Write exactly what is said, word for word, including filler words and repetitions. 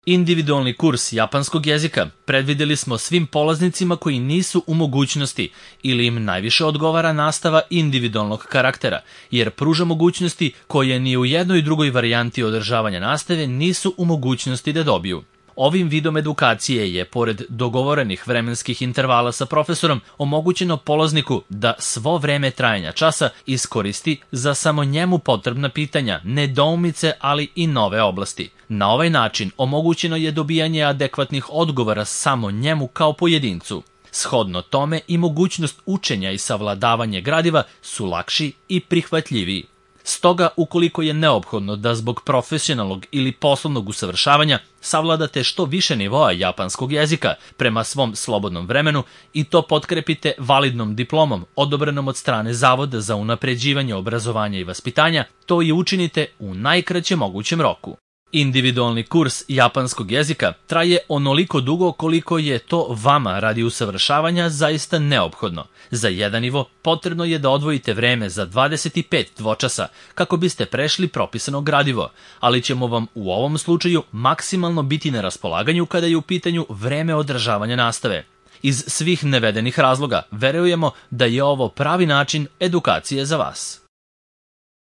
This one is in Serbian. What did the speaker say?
Individualni kurs japanskog jezika predvideli smo svim polaznicima koji nisu u mogućnosti ili im najviše odgovara nastava individualnog karaktera, jer pruža mogućnosti koje ni u jednoj drugoj varijanti održavanja nastave nisu u mogućnosti da dobiju. Ovim vidom edukacije je, pored dogovorenih vremenskih intervala sa profesorom, omogućeno polazniku da svo vreme trajanja časa iskoristi za samo njemu potrebna pitanja, nedoumice, ali i nove oblasti. Na ovaj način omogućeno je dobijanje adekvatnih odgovora samo njemu kao pojedincu. Shodno tome i mogućnost učenja i savladavanje gradiva su lakši i prihvatljiviji. Stoga, ukoliko je neophodno da zbog profesionalnog ili poslovnog usavršavanja savladate što više nivoa japanskog jezika prema svom slobodnom vremenu i to potkrepite validnom diplomom odobrenom od strane Zavoda za unapređivanje obrazovanja i vaspitanja, to i učinite u najkraćem mogućem roku. Individualni kurs japanskog jezika traje onoliko dugo koliko je to vama radi usavršavanja zaista neophodno. Za jedan nivo potrebno je da odvojite vreme za dvadeset pet dvočasa kako biste prešli propisano gradivo, ali ćemo vam u ovom slučaju maksimalno biti na raspolaganju kada je u pitanju vreme održavanja nastave. Iz svih navedenih razloga verujemo da je ovo pravi način edukacije za vas.